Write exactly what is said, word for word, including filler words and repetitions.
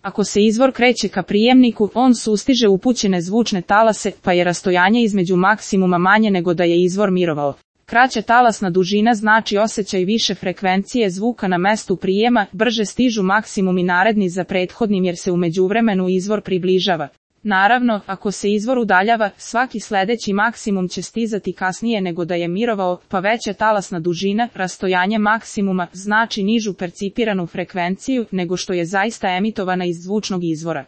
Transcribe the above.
Ako se izvor kreće ka prijemniku, on sustiže upućene zvučne talase, pa je rastojanje između maksimuma manje nego da je izvor mirovao. Kraća talasna dužina znači osjećaj više frekvencije zvuka na mestu prijema, brže stižu maksimumi naredni za prethodnim jer se u međuvremenu izvor približava. Naravno, ako se izvor udaljava, svaki sledeći maksimum će stizati kasnije nego da je mirovao, pa veća talasna dužina, rastojanje maksimuma, znači nižu percipiranu frekvenciju nego što je zaista emitovana iz zvučnog izvora.